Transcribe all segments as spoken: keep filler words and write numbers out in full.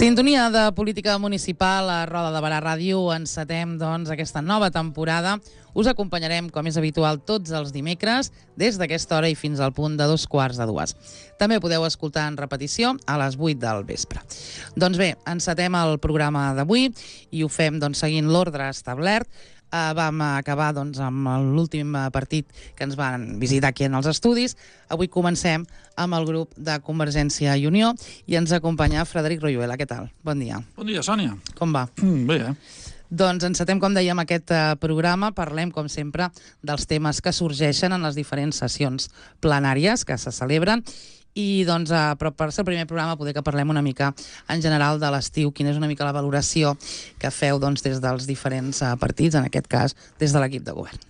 Sintonia de política municipal a Roda de Barà Ràdio. Encetem, doncs, aquesta nova temporada. Us acompanyarem, com és habitual, tots els dimecres, des d'aquesta hora i fins al punt de dos quarts de dues. També podeu escoltar en repetició a les vuit del vespre. Doncs bé, encetem el programa d'avui i ho fem doncs, seguint l'ordre establert. Uh, vam acabar doncs, amb l'últim partit que ens van visitar aquí en els estudis. Avui comencem amb el grup de Convergència i Unió i ens acompanya Frederic Royuela. Què tal? Bon dia. Bon dia, Sònia. Com va? Mm, bé, eh? Doncs encetem, com dèiem, aquest uh, programa. Parlem, com sempre, dels temes que sorgeixen en les diferents sessions plenàries que se celebren. I doncs, uh, però per ser el primer programa poder que parlem una mica en general de l'estiu, quina és una mica la valoració que feu doncs, des dels diferents uh, partits, en aquest cas des de l'equip de govern.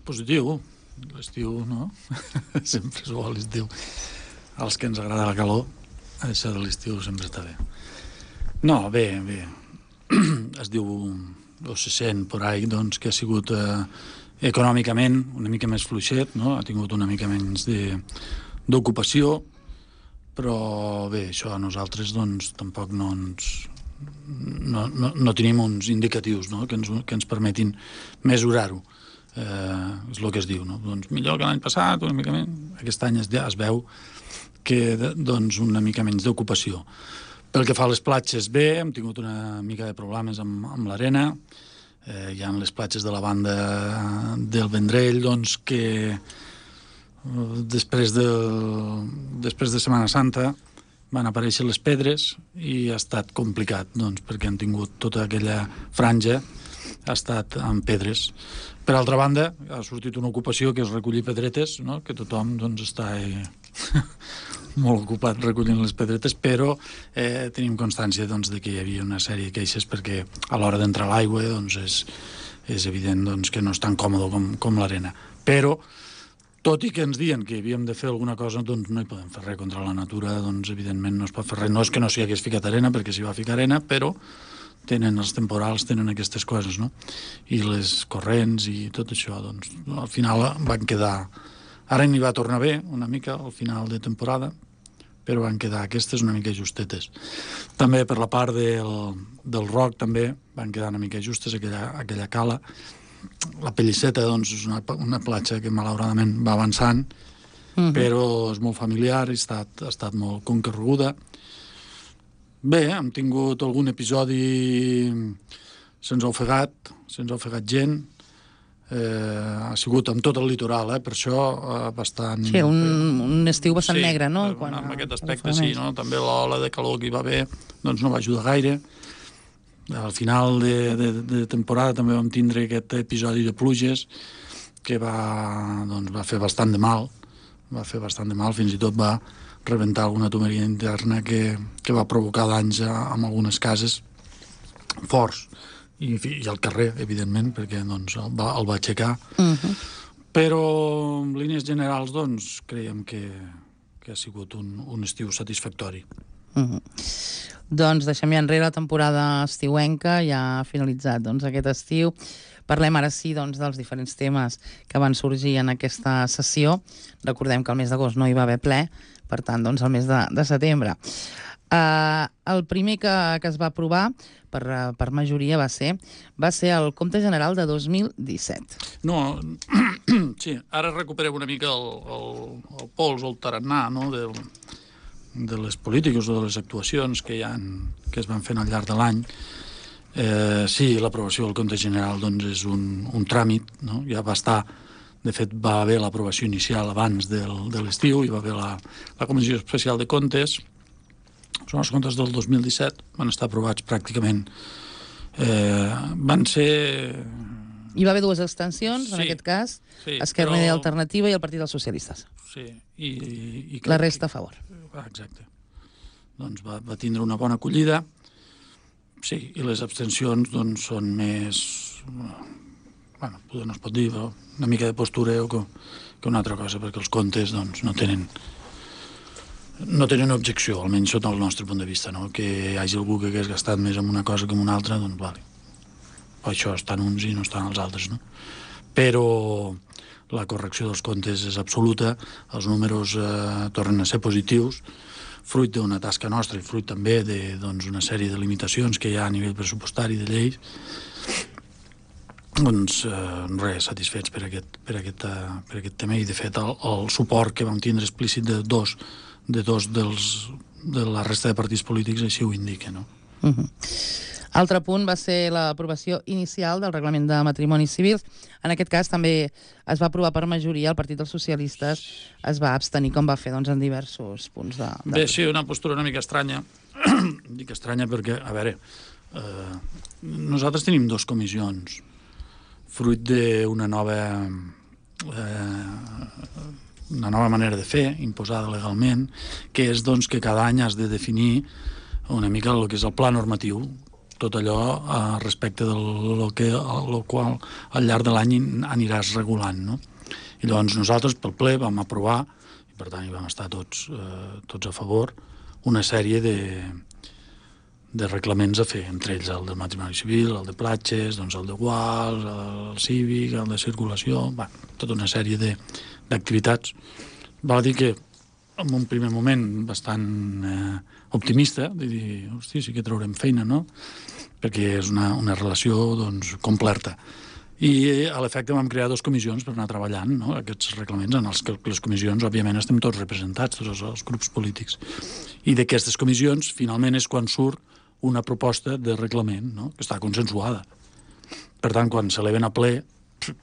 Positiu, l'estiu, no? Sempre és bo l'estiu. Als que ens agrada la calor, això de l'estiu sempre està bé. No, bé, bé. Es diu, o se sent por ahí, doncs, que ha sigut eh, econòmicament una mica més fluixet, no? Ha tingut una mica menys de d'ocupació, però bé, això a nosaltres doncs tampoc no ens no, no, no tenim uns indicatius, no? que, ens, que ens permetin mesurar-ho. Eh, és el que es diu, no? Doncs millor que l'any passat, una mica menys. Aquest any es, es veu que doncs una mica menys d'ocupació. Pel que fa a les platges, bé, hem tingut una mica de problemes amb, amb l'arena. Eh, hi ha les platges de la banda del Vendrell, doncs, que després de, després de Setmana Santa van aparèixer les pedres i ha estat complicat, doncs, perquè han tingut tota aquella franja ha estat amb pedres. Per altra banda, ha sortit una ocupació que és recollir pedretes, no? Que tothom doncs, està eh, molt ocupat recollint les pedretes, però eh, tenim constància doncs, de que hi havia una sèrie de queixes perquè a l'hora d'entrar a l'aigua doncs, és, és evident doncs, que no és tan còmode com, com l'arena. Però tot i que ens diuen que havíem de fer alguna cosa, doncs no hi podem fer res contra la natura, doncs evidentment no es pot fer res. No és que no s'hi hagués ficat arena, perquè s'hi va ficar arena, però tenen els temporals, tenen aquestes coses, no? I les corrents i tot això, doncs al final van quedar... Ara n'hi va tornar bé, una mica, al final de temporada, però van quedar aquestes una mica justetes. També per la part del, del Roc també van quedar una mica justes, aquella, aquella cala. La Pellisseta, doncs, és una, una platja que malauradament va avançant, uh-huh. però és molt familiar i ha estat, ha estat molt concorreguda. Bé, hem tingut algun episodi, se'ns ha ofegat, se'ns ha ofegat gent, eh, ha sigut amb tot el litoral, eh, per això eh, bastant... Sí, un, un estiu bastant sí, negre, no? Quan en aquest aspecte sí, no? També l'ola de calor que hi va haver doncs no va ajudar gaire. Al final de, de, de temporada també vam tindre aquest episodi de pluges que va, doncs, va fer bastant de mal, va fer bastant de mal, fins i tot va rebentar alguna tuberia interna que, que va provocar danys a, en algunes cases forts i, i al carrer, evidentment, perquè doncs, el, va, el va aixecar. Uh-huh. Però en línies generals doncs, creiem que, que ha sigut un, un estiu satisfactori. Uh-huh. Doncs deixem ja enrere la temporada estiuenca, ja ha finalitzat doncs, aquest estiu. Parlem ara sí doncs, dels diferents temes que van sorgir en aquesta sessió. Recordem que el mes d'agost no hi va haver ple, per tant, doncs, el mes de, de setembre. Uh, el primer que, que es va aprovar per, per majoria va ser, va ser el Compte General de dos mil disset. No, sí, ara recuperem una mica el, el, el pols o el tarannà, no?, del... de les polítiques o de les actuacions que, hi ha, que es van fent al llarg de l'any. Eh, sí, l'aprovació del compte general doncs, és un, un tràmit, no? Ja va estar, de fet va haver l'aprovació inicial abans del, de l'estiu, hi va haver la, la Comissió Especial de Comptes. Són els comptes del dos mil disset, van estar aprovats pràcticament. Eh, van ser... Hi va haver dues abstencions, sí, en aquest cas, sí, Esquerra Unida però... Alternativa i el Partit dels Socialistes. Sí, i... i la resta a favor. Exacte. Doncs va, va tindre una bona acollida. Sí, i les abstencions doncs, són més... Bueno, no es pot dir, però una mica de postureo que, que una altra cosa, perquè els comptes doncs, no tenen no tenen objecció, almenys sota el nostre punt de vista, no? Que hi hagi algú que hagués gastat més en una cosa que en una altra, doncs vale. Per això estan uns i no estan els altres, no? Però la correcció dels comptes és absoluta, els números eh, tornen a ser positius, fruit d'una tasca nostra i fruit també d'una sèrie de limitacions que hi ha a nivell pressupostari de lleis, doncs res, satisfets per aquest, per aquest, per aquest tema, i de fet el, el suport que vam tindre explícit de dos, de dos dels, de la resta de partits polítics així ho indica, no? Uh-huh. Altre punt va ser l'aprovació inicial del reglament de matrimonis civils. En aquest cas també es va aprovar per majoria, el Partit dels Socialistes es va abstenir, com va fer doncs, en diversos punts de... de... Bé, sí, una postura una mica estranya. Dic estranya perquè, a veure, eh, nosaltres tenim dues comissions, fruit d'una nova... Eh, una nova manera de fer, imposada legalment, que és doncs, que cada any has de definir una mica el que és el pla normatiu, tot allò eh, respecte del que, el qual al llarg de l'any aniràs regulant, no? I llavors nosaltres pel ple vam aprovar, i per tant hi vam estar tots, eh, tots a favor, una sèrie de, de reglaments a fer, entre ells el del matrimoni civil, el de platges, doncs el de guals, el cívic, el de circulació, va, tota una sèrie d'activitats. Val a dir que en un primer moment bastant eh, optimista, de dir, hosti, sí que traurem feina, no? Perquè és una, una relació doncs, completa. I a l'efecte vam crear dues comissions per anar treballant, no? Aquests reglaments en els que les comissions, òbviament, estem tots representats, tots els, els grups polítics. I d'aquestes comissions, finalment, és quan surt una proposta de reglament, no? Que està consensuada. Per tant, quan s'eleven a ple,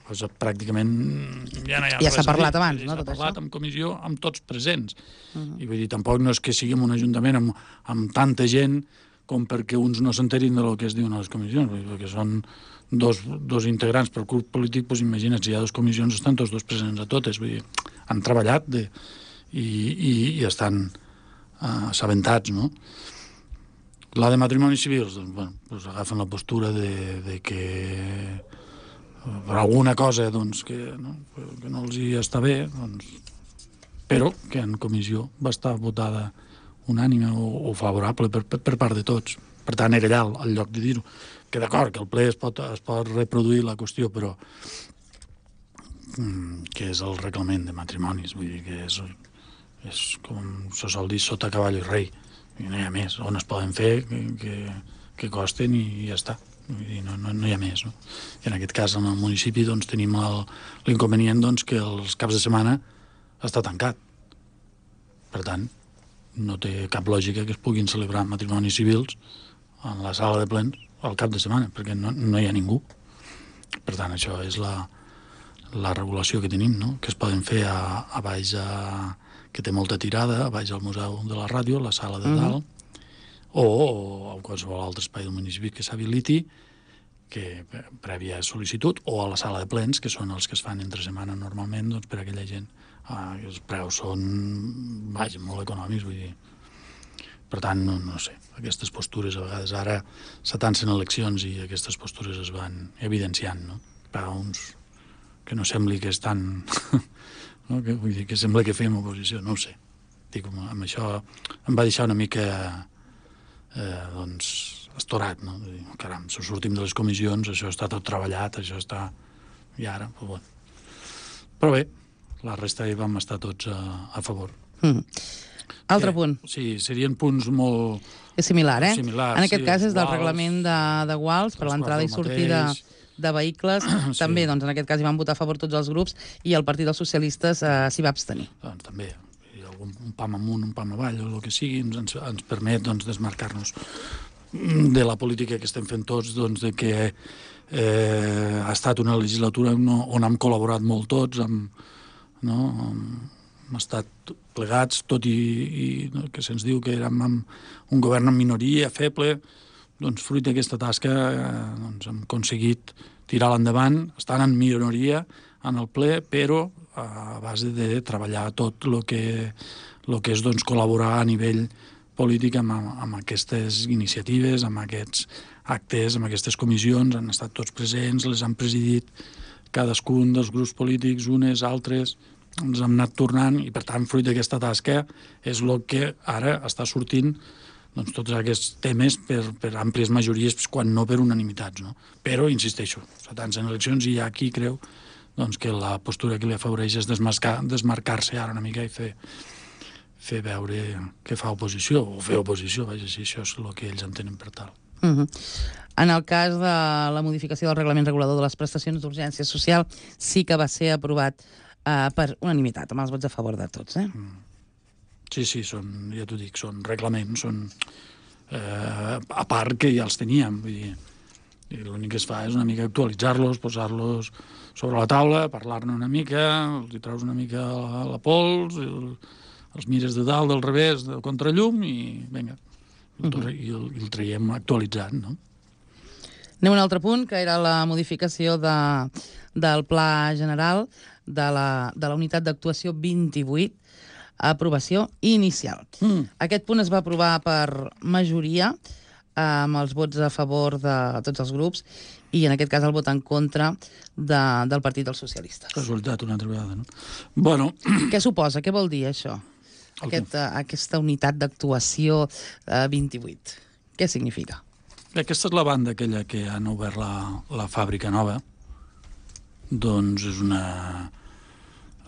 pues, pràcticament ja no hi ha ja s'ha parlat dir. abans, ja no? S'ha parlat això? En comissió amb tots presents. Uh-huh. I vull dir, tampoc no és que siguem un ajuntament amb, amb tanta gent com perquè uns no s'enterin del que es diuen a les comissions, perquè són dos, dos integrants per grup polític, doncs imagina't, si hi ha dues comissions, estan tots dos presents a totes, vull dir, han treballat de, i, i, i estan uh, assabentats, no? La de matrimonis civils, doncs, bueno, doncs agafen la postura de, de que per alguna cosa doncs, que, no, que no els hi està bé, doncs, però que en comissió va estar votada unànime o, o favorable per, per, per part de tots. Per tant, era allà al lloc de dir-ho. Que d'acord, que el ple es pot, es pot reproduir la qüestió, però mm, que és el reglament de matrimonis, vull dir que és, és com se sol dir, sota cavall i rei. I no hi ha més. On es poden fer, que, que, que costen i ja està. Vull dir, no, no, no hi ha més, no? I en aquest cas, en el municipi, doncs, tenim l'inconvenient doncs, que els caps de setmana està tancat. Per tant, no té cap lògica que es puguin celebrar matrimonis civils en la sala de plens al cap de setmana, perquè no, no hi ha ningú. Per tant, això és la, la regulació que tenim, no? Que es poden fer a, a baix, a, que té molta tirada, a baix al Museu de la Ràdio, la sala de dalt, mm-hmm. o, o a qualsevol altre espai del municipi que s'habiliti, que prèvia sol·licitud, o a la sala de plens, que són els que es fan entre setmana normalment, doncs, per a aquella gent. Ah, els preus són, vaja, molt econòmics, vull dir. Per tant, no, no sé, aquestes postures a vegades ara s'atancen eleccions i aquestes postures es van evidenciant, no? Per a uns que no sembli que estan... no? Que, vull dir, que sembla que fem oposició, no ho sé. Dic, amb això em va deixar una mica eh, doncs, estorat, no? Dir, caram, si sortim de les comissions, això està tot treballat, això està... I ara, doncs, bueno. Però bé, la resta hi vam estar tots a, a favor. Mm. Altre que, punt. Sí, serien punts molt... És similar, eh? Similars, en aquest sí, cas és del guals, reglament de, de guals per l'entrada i sortida de vehicles. Sí. També, doncs, en aquest cas hi van votar a favor tots els grups i el Partit dels Socialistes eh, s'hi va abstenir. Doncs també, un, un pam amunt, un pam avall, o el que sigui, ens, ens permet doncs, desmarcar-nos de la política que estem fent tots, doncs, de que eh, ha estat una legislatura no, on hem col·laborat molt tots, amb, no, amb, hem estat plegats, tot i, i no, que se'ns diu que érem un govern en minoria, feble, doncs fruit d'aquesta tasca eh, doncs, hem aconseguit tirar-la endavant, estant en minoria en el ple, però a base de treballar tot el que, lo que és doncs, col·laborar a nivell polític amb, amb aquestes iniciatives, amb aquests actes, amb aquestes comissions, han estat tots presents, les han presidit cadascun dels grups polítics, unes, altres, ens hem anat tornant i, per tant, fruit d'aquesta tasca és el que ara està sortint doncs, tots aquests temes per, per àmplies majories, quan no per unanimitats. No? Però, insisteixo, s'atancen eleccions i hi ha qui creu doncs, que la postura que li afavoreix és desmarcar-se ara una mica i fer, fer veure que fa oposició, o fer oposició, vaja, si això és el que ells entenen per tal. Uh -huh. En el cas de la modificació del reglament regulador de les prestacions d'urgència social, sí que va ser aprovat eh, per unanimitat, amb els vots a favor de tots. Eh? Mm. Sí, sí, són, ja t'ho dic, són reglaments, són eh, a part que ja els teníem, vull dir, l'únic que es fa és una mica actualitzar-los, posar-los sobre la taula, parlar-ne una mica, els hi treus una mica la, la pols, el, els mires de dalt, del revés, del contrallum i vinga, i el, i el, i el traiem actualitzat, no? Anem a un altre punt, que era la modificació de, del Pla General de la, de la Unitat d'Actuació vint-i-vuit, aprovació inicial. Mm. Aquest punt es va aprovar per majoria, amb els vots a favor de tots els grups, i en aquest cas el vot en contra de, del Partit dels Socialistes. Casualitat, una altra vegada, no? Bueno... Què suposa? Què vol dir això? Aquest, uh, aquesta unitat d'actuació uh, vint-i-vuit. Què significa? Aquesta és la banda aquella que han obert la, la fàbrica nova. Doncs és una...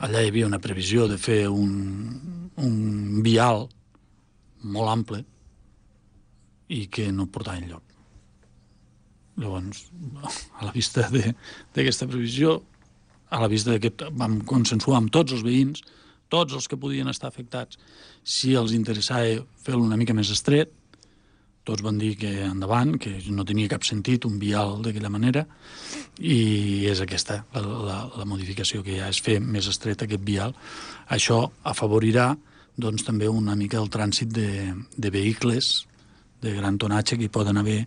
Allà hi havia una previsió de fer un, un vial molt ample i que no portava enlloc. Llavors, a la vista d'aquesta previsió, a la vista que vam consensuar amb tots els veïns, tots els que podien estar afectats, si els interessava fer-lo una mica més estret, tots van dir que endavant, que no tenia cap sentit un vial d'aquella manera, i és aquesta la, la, la modificació que hi ha, és fer més estret aquest vial. Això afavorirà doncs, també una mica el trànsit de, de vehicles de gran tonatge que hi poden haver,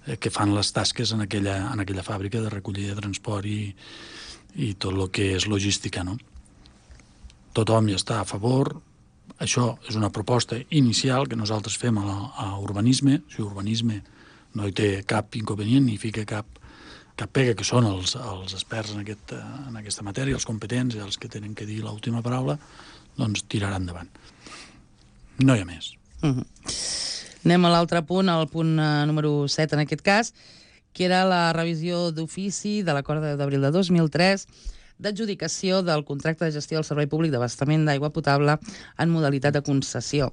eh, que fan les tasques en aquella, en aquella fàbrica de recollida de transport i, i tot el que és logística, no? Tothom hi està a favor. Això és una proposta inicial que nosaltres fem a, la, a urbanisme. Si urbanisme no hi té cap inconvenient ni fica cap, cap pega, que són els, els experts en, aquest, en aquesta matèria, els competents i els que tenen que dir l'última paraula, doncs tirarà endavant. No hi ha més. Uh-huh. Anem a l'altre punt, el punt uh, número set en aquest cas, que era la revisió d'ofici de l'acord d'abril de dos mil tres d'adjudicació del contracte de gestió del servei públic d'abastament d'aigua potable en modalitat de concessió.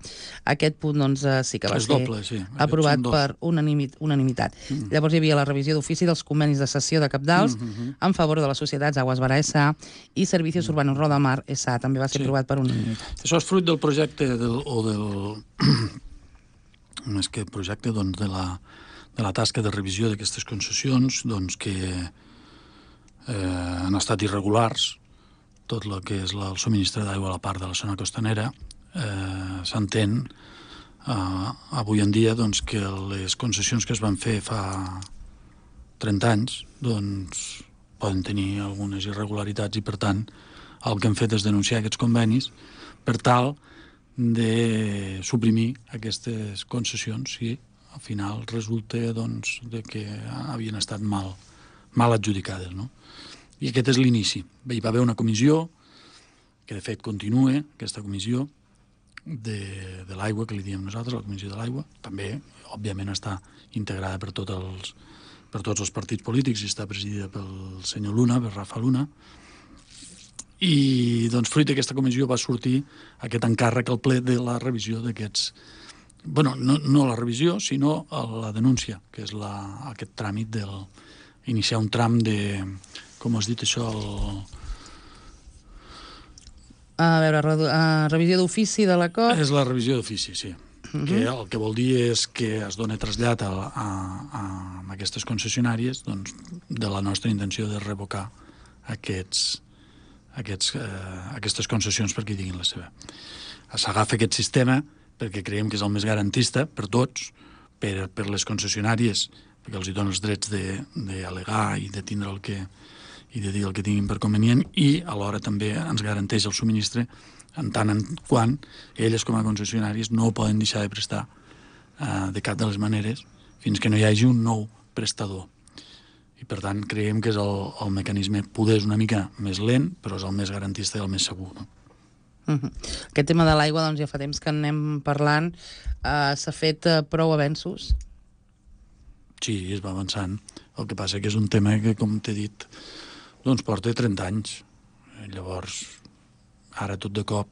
Aquest punt doncs, sí que va és ser doble, sí. aprovat per unanimi- unanimitat. Mm. Llavors hi havia la revisió d'ofici dels convenis de cessió de cabdals mm -hmm. en favor de les societats Aguas Bara S A i Servicios mm. Urbanos Rodamar S A. També va ser sí. aprovat per unanimitat. Això és fruit del projecte del, o del... més que projecte doncs, de, la, de la tasca de revisió d'aquestes concessions doncs, que Eh, han estat irregulars, tot el que és la, el subministre d'aigua a la part de la zona costanera. Eh, S'entén eh, avui en dia doncs, que les concessions que es van fer fa trenta anys doncs, poden tenir algunes irregularitats i, per tant, el que hem fet és denunciar aquests convenis per tal de suprimir aquestes concessions si al final resulta doncs, de que havien estat mal, mal adjudicades, no? I aquest és l'inici. Hi va haver una comissió, que de fet continua, aquesta comissió de, de l'aigua, que li diem nosaltres, la comissió de l'aigua. També, òbviament, està integrada per, tot els, per tots els partits polítics i està presidida pel senyor Luna, per Rafa Luna. I, doncs, fruit d'aquesta comissió va sortir aquest encàrrec al ple de la revisió d'aquests... Bueno, no, no la revisió, sinó la denúncia, que és la, aquest tràmit del... iniciar un tram de... Com has dit això? El... A veure, re, uh, revisió d'ofici de l'acord. És la revisió d'ofici, sí. Uh-huh. Que el que vol dir és que es dona trasllat a, a, a, a aquestes concessionàries doncs, de la nostra intenció de revocar aquests, aquests, eh, aquestes concessions perquè diguin la seva. S'agafa aquest sistema perquè creiem que és el més garantista per tots, per, per les concessionàries, perquè els hi dona els drets d'al·legar i de tindre el que i de dir el que tinguin per convenient, i alhora també ens garanteix el subministre en tant en quant elles com a concessionàries no poden deixar de prestar eh, de cap de les maneres fins que no hi hagi un nou prestador. I per tant creiem que és el, el mecanisme, poder és una mica més lent, però és el més garantista i el més segur, no? Uh-huh. Aquest tema de l'aigua, doncs ja fa temps que anem parlant. Uh, s'ha fet uh, prou avenços? Sí, es va avançant. El que passa que és un tema que, com t'he dit, doncs porta trenta anys. Llavors, ara tot de cop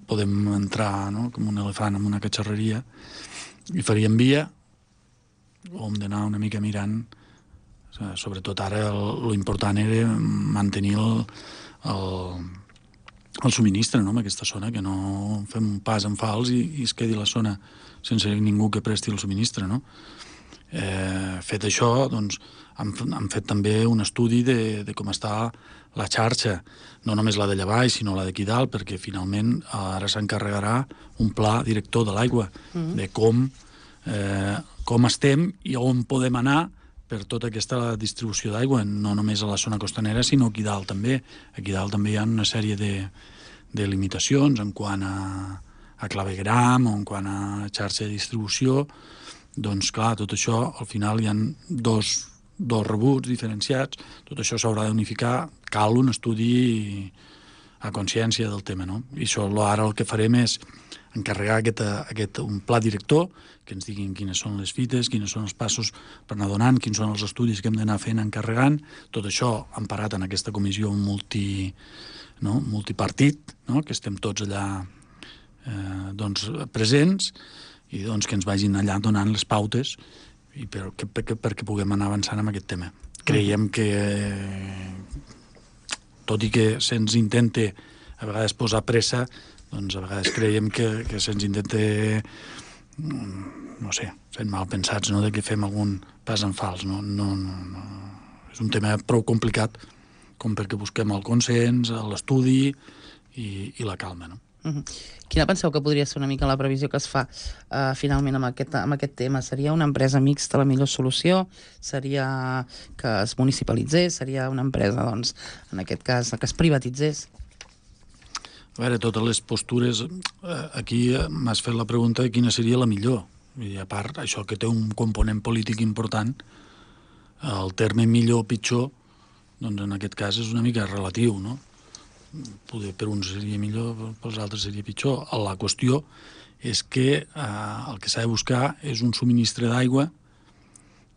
podem entrar, no?, com un elefant en una catxarreria i faríem via, o hem d'anar una mica mirant. Sobretot ara l'important era mantenir el, el, el subministre, no?, en aquesta zona, que no fem un pas en fals i, i es quedi la zona sense ningú que presti el subministre, no? Eh, fet això, doncs, hem, hem fet també un estudi de, de com està la xarxa, no només la de Llavall, sinó la d'aquí dalt, perquè finalment ara s'encarregarà un pla director de l'aigua, mm. de com, eh, com estem i on podem anar per tota aquesta distribució d'aigua, no només a la zona costanera, sinó aquí dalt també. Aquí dalt també hi ha una sèrie de, de limitacions en quant a, a clavegram o en quant a xarxa de distribució. Doncs, clar, tot això, al final hi ha dos, dos rebuts diferenciats, tot això s'haurà d'unificar, cal un estudi a consciència del tema, no? I això ara el que farem és encarregar aquest, aquest, un pla director, que ens diguin quines són les fites, quins són els passos per anar donant, quins són els estudis que hem d'anar fent encarregant, tot això emparat en aquesta comissió multi, no? multipartit, no? que estem tots allà eh, doncs, presents, i doncs, que ens vagin allà donant les pautes i per, que, perquè, perquè puguem anar avançant amb aquest tema. Creiem que, tot i que se'ns intenta a vegades posar pressa, doncs a vegades creiem que, que se'ns intenta, no sé, fent mal pensats, no?, de que fem algun pas en fals. No, no, no, no. És un tema prou complicat com perquè busquem el consens, l'estudi i, i la calma, no? Uh-huh. Quina penseu que podria ser una mica la previsió que es fa uh, finalment amb aquest, amb aquest tema? Seria una empresa mixta la millor solució? Seria que es municipalitzés? Seria una empresa, doncs, en aquest cas, que es privatitzés? A veure, totes les postures, eh, aquí m'has fet la pregunta de quina seria la millor. I a part, això que té un component polític important, el terme millor o pitjor, doncs en aquest cas és una mica relatiu, no? Poder per uns seria millor, pels altres seria pitjor. La qüestió és que eh, el que s'ha de buscar és un subministre d'aigua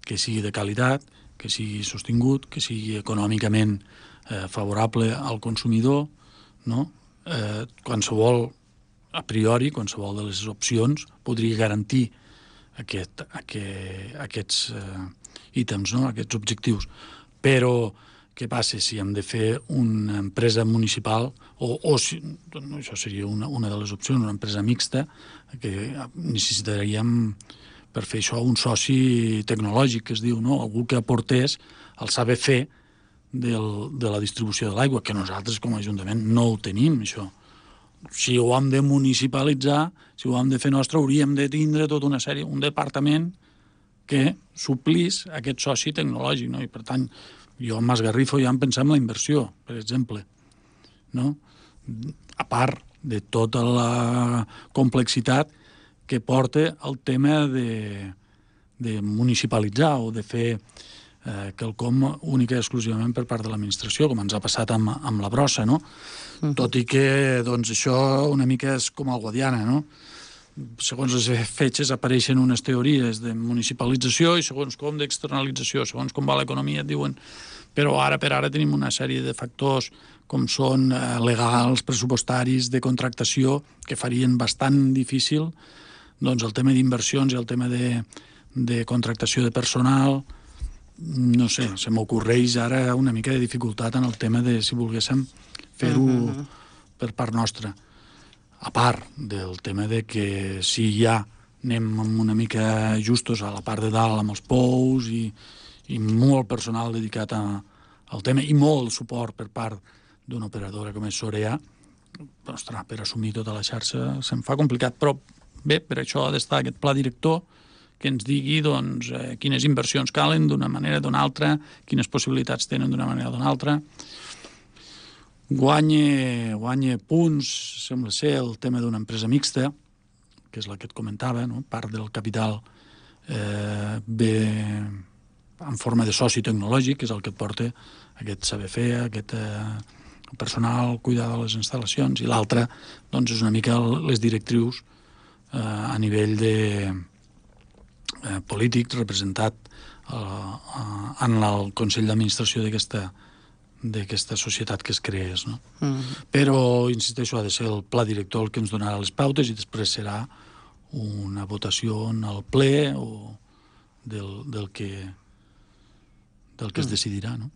que sigui de qualitat, que sigui sostingut, que sigui econòmicament eh, favorable al consumidor, no? Eh, qualsevol, a priori, qualsevol de les opcions podria garantir aquest, aquest, aquests eh, ítems, no? Aquests objectius. Però què passa si hem de fer una empresa municipal o, o si, no, això seria una, una de les opcions, una empresa mixta, que necessitaríem per fer això un soci tecnològic, que es diu, no? Algú que aportés el saber fer del, de la distribució de l'aigua, que nosaltres com a Ajuntament no ho tenim, això. Si ho hem de municipalitzar, si ho hem de fer nostre, hauríem de tindre tota una sèrie, un departament que suplís aquest soci tecnològic, no? I per tant, jo m'esgarrifo ja en pensar en la inversió, per exemple, no? A part de tota la complexitat que porta el tema de, de municipalitzar o de fer eh, quelcom única i exclusivament per part de l'administració, com ens ha passat amb, amb la brossa, no? Uh-huh. Tot i que, doncs, això una mica és com el Guadiana, no? Segons les fetges apareixen unes teories de municipalització i segons com d'externalització, segons com va l'economia et diuen, però ara per ara tenim una sèrie de factors com són eh, legals, pressupostaris, de contractació, que farien bastant difícil doncs, el tema d'inversions i el tema de, de contractació de personal. No sé, se m'ocorreix ara una mica de dificultat en el tema de si volguéssim fer-ho uh-huh. per part nostra. A part del tema de que si ja anem una mica justos a la part de dalt amb els pous i, i molt personal dedicat a, al tema i molt suport per part d'una operadora com és Sorea, ostres, per assumir tota la xarxa se'm fa complicat, però bé, per això ha d'estar aquest pla director que ens digui doncs, eh, quines inversions calen d'una manera o d'una altra, quines possibilitats tenen d'una manera o d'una altra. Guanya, guanya punts, sembla ser, el tema d'una empresa mixta, que és la que et comentava, no? Part del capital eh, ve en forma de soci tecnològic, que és el que et porta aquest saber fer, aquest eh, personal, cuidar de les instal·lacions, i l'altre doncs, és una mica les directrius eh, a nivell de eh, polític representat eh, en el Consell d'Administració d'aquesta d'aquesta societat que es creés, no? Mm. Però, insisteixo, ha de ser el pla director el que ens donarà les pautes i després serà una votació en el ple o del, del que del que es decidirà, no?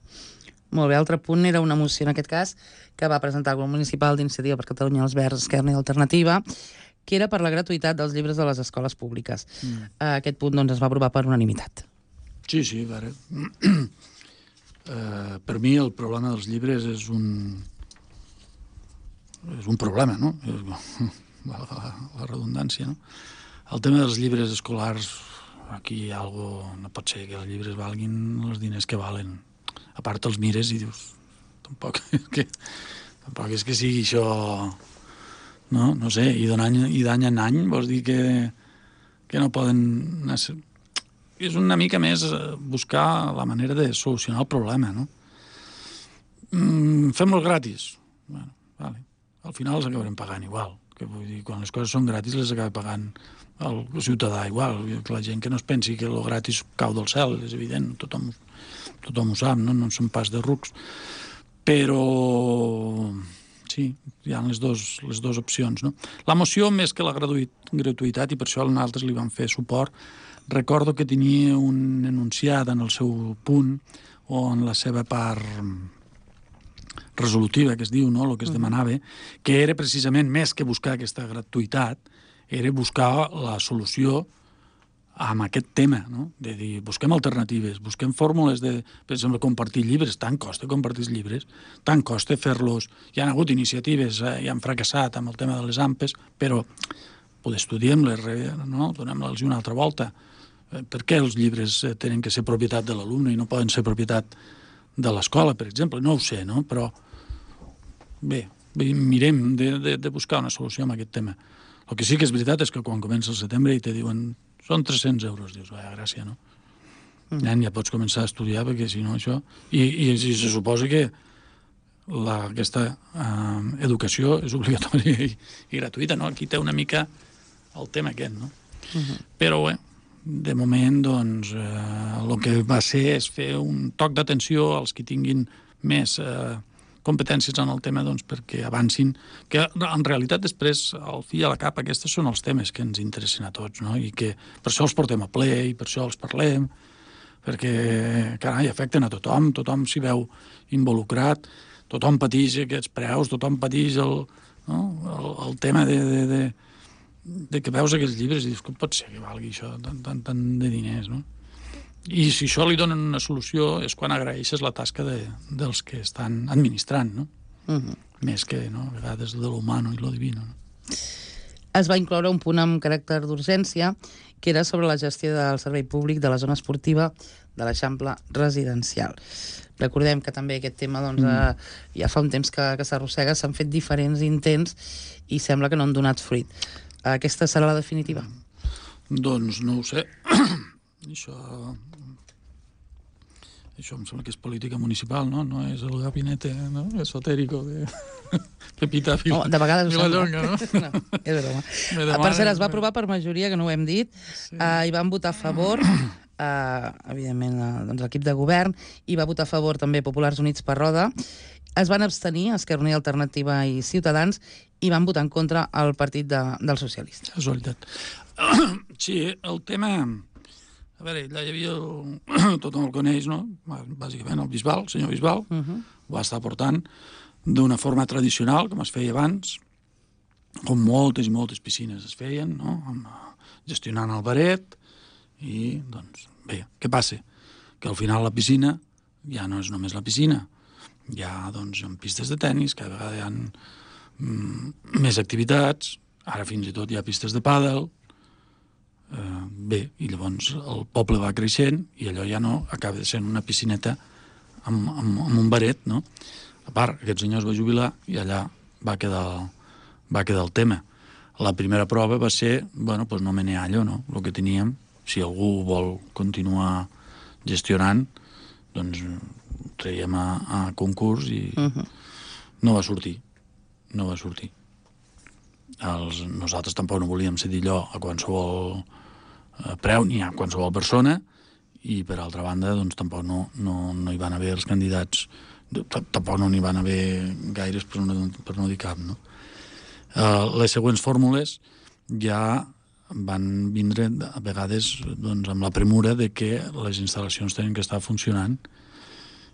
Molt bé, altre punt era una moció, en aquest cas, que va presentar el grup municipal d'Iniciativa per Catalunya, els Verds, Esquerra i Alternativa, que era per la gratuïtat dels llibres de les escoles públiques. Mm. Aquest punt doncs, es va aprovar per unanimitat. Sí, sí, a veure. Uh, per mi el problema dels llibres és un és un problema, no? La, la, la redundància, no? El tema dels llibres escolars, aquí hi ha algo, no pot ser que els llibres valguin els diners que valen. A part els mires i dius, tampoc és que, tampoc és que sigui això, no? No sé, i d'any en any vols dir que, que no poden... És una mica més buscar la manera de solucionar el problema, no? Mm, fem-los gratis. Bueno, vale. Al final els acabarem pagant igual. Que vull dir, quan les coses són gratis les acaba pagant el ciutadà igual. Que la gent que no es pensi que el gratis cau del cel, és evident, tothom, tothom ho sap, no? No són pas de rucs. Però sí, hi ha les dues les dos opcions, no? La moció, més que la gratuïtat, i per això nosaltres li vam fer suport, recordo que tenia un enunciat en el seu punt o en la seva part resolutiva, que es diu, no?, el que es demanava, que era precisament, més que buscar aquesta gratuïtat, era buscar la solució amb aquest tema, no? De dir, busquem alternatives, busquem fórmules de, per exemple, compartir llibres. Tant costa compartir llibres, tant costa fer-los. Hi ha hagut iniciatives, eh, i han fracassat amb el tema de les ampes, però poder estudiem-les, no? Donem-les una altra volta. Per què els llibres tenen que ser propietat de l'alumne i no poden ser propietat de l'escola, per exemple? No ho sé, no? Però bé, mirem de, de, de buscar una solució a aquest tema. El que sí que és veritat és que quan comença el setembre i te diuen són tres-cents euros, dius, vaja, gràcia, no? Mm. Ja pots començar a estudiar, perquè si no això... I, i, i se suposa que la, aquesta eh, educació és obligatòria i, i gratuïta, no? Aquí té una mica el tema aquest, no? Mm-hmm. Però bé, de moment, doncs, eh, el que va ser és fer un toc d'atenció als que tinguin més eh, competències en el tema, doncs, perquè avancin, que en realitat després, al fi i a la cap, aquests són els temes que ens interessen a tots, no? I que per això els portem a ple i per això els parlem, perquè, carai, afecten a tothom, tothom s'hi veu involucrat, tothom pateix aquests preus, tothom pateix el, no? el, el tema de... de, de de que veus aquests llibres i dius, com pot ser que valgui això tant, tant, tant de diners, no? I si això li donen una solució és quan agraeixes la tasca de, dels que estan administrant, no? Uh-huh. Més que, no?, a vegades de l'humano i lo divino, no? Es va incloure un punt amb caràcter d'urgència, que era sobre la gestió del servei públic de la zona esportiva de l'Eixample residencial. Recordem que també aquest tema doncs, mm. eh, ja fa un temps que, que s'arrossega, s'han fet diferents intents i sembla que no han donat fruit. Aquesta serà la definitiva? Doncs no ho sé. Això... Això em sembla que és política municipal, no? No és el gabinete, no? Esotérico de Pepita Vila. Oh, de vegades ho sembla. No? No, és broma. Per cert, es va aprovar per majoria, que no ho hem dit, sí. uh, i van votar a favor, uh, evidentment, uh, doncs, l'equip de govern, i va votar a favor també Populars Units per Roda. Es van abstenir Esquerra Unida, Alternativa i Ciutadans, i van votar en contra el partit de, dels socialistes. Casualitat. Sí, el tema... A veure, allà hi havia... El... Tothom el coneix, no? Bàsicament el Bisbal, el senyor Bisbal, uh-huh. Ho va estar portant d'una forma tradicional, com es feia abans, com moltes i moltes piscines es feien, no? Gestionant el baret, i, doncs, bé, què passa? Que al final la piscina ja no és només la piscina. Hi ha, doncs, pistes de tennis, cada vegada hi ha mm, més activitats, ara fins i tot hi ha pistes de pàdel, eh, bé, i llavors el poble va creixent i allò ja no acaba de ser una piscineta amb, amb, amb un baret, no? A part, aquest senyor es va jubilar i allà va quedar el, va quedar el tema. La primera prova va ser, bueno, doncs no meneallo, no? El que teníem, si algú vol continuar gestionant, doncs traiem a, a concurs i uh-huh. no va sortir. No va sortir. Els, nosaltres tampoc no volíem cedir allò a qualsevol eh, preu ni a qualsevol persona i, per altra banda, doncs tampoc no, no, no hi van haver els candidats tampoc no n'hi van haver gaires, per no, per no dir cap, no? Uh, les següents fórmules ja van vindre a vegades doncs, amb la premura de que les instal·lacions tenen que estar funcionant.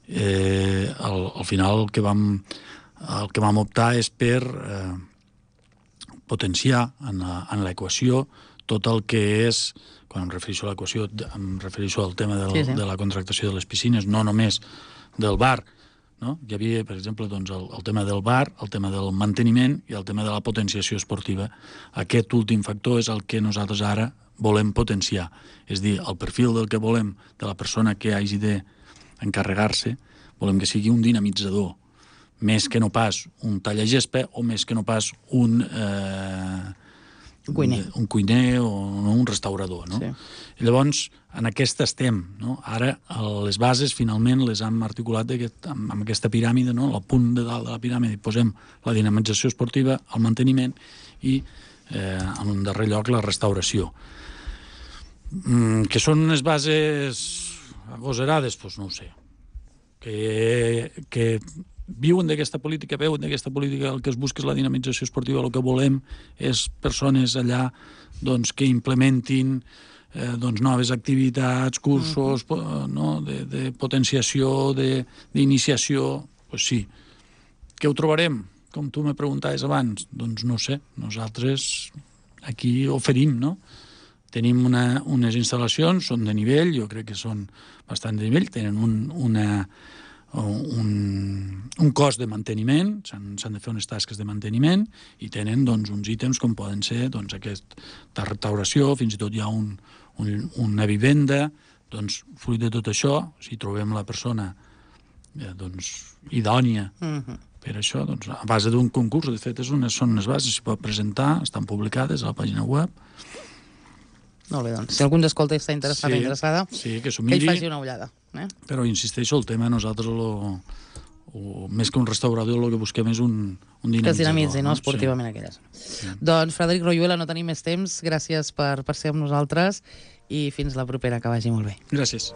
Eh, al, al final el que vam, el que vam optar és per eh, potenciar en l'equació tot el que és, quan em refereixo a l'equació, em refereixo al tema del, sí, sí. de la contractació de les piscines, no només del bar, no? Hi havia, per exemple, doncs, el, el tema del bar, el tema del manteniment i el tema de la potenciació esportiva. Aquest últim factor és el que nosaltres ara volem potenciar. És dir, el perfil del que volem, de la persona que hagi d'encarregar-se, volem que sigui un dinamitzador, més que no pas un tallagespa o més que no pas un... Eh, Un cuiner. Un, un cuiner o no, un restaurador, no? Sí. I llavors, en aquesta estem, no? Ara, les bases, finalment, les hem articulat aquest, amb, amb aquesta piràmide, no? Al punt de dalt de la piràmide posem la dinamització esportiva, el manteniment i, eh, en un darrer lloc, la restauració. Mm, que són unes bases agosarades? Doncs no ho sé. Que... que viuen d'aquesta política, veuen d'aquesta política, el que es busca és la dinamització esportiva, el que volem és persones allà doncs, que implementin eh, doncs, noves activitats, cursos, uh-huh. no? de, de potenciació, d'iniciació, doncs pues sí. Què ho trobarem? Com tu me preguntaves abans, doncs no sé, nosaltres aquí oferim, no? Tenim una, unes instal·lacions, són de nivell, jo crec que són bastant de nivell, tenen un, una... Un, un cost de manteniment, s'han de fer unes tasques de manteniment i tenen doncs, uns ítems com poden ser doncs, aquesta restauració, fins i tot hi ha un, un, una vivenda, doncs fruit de tot això, si trobem la persona eh, doncs, idònia uh-huh. per això, doncs, a base d'un concurs, de fet és unes, són unes bases, s'hi pot presentar, estan publicades a la pàgina web. Molt bé, doncs, si algú ens escolta i està interessat o sí, interessada, sí, que, que hi faci una ullada. Eh? Però insisteixo, el tema nosaltres lo, o, més que un restaurador el que busquem és un, un dinamitzador. Que es dinamitzi, no? Esportivament sí. aquelles. Sí. Doncs Frederic Royuela, no tenim més temps, gràcies per, per ser amb nosaltres i fins la propera, que vagi molt bé. Gràcies.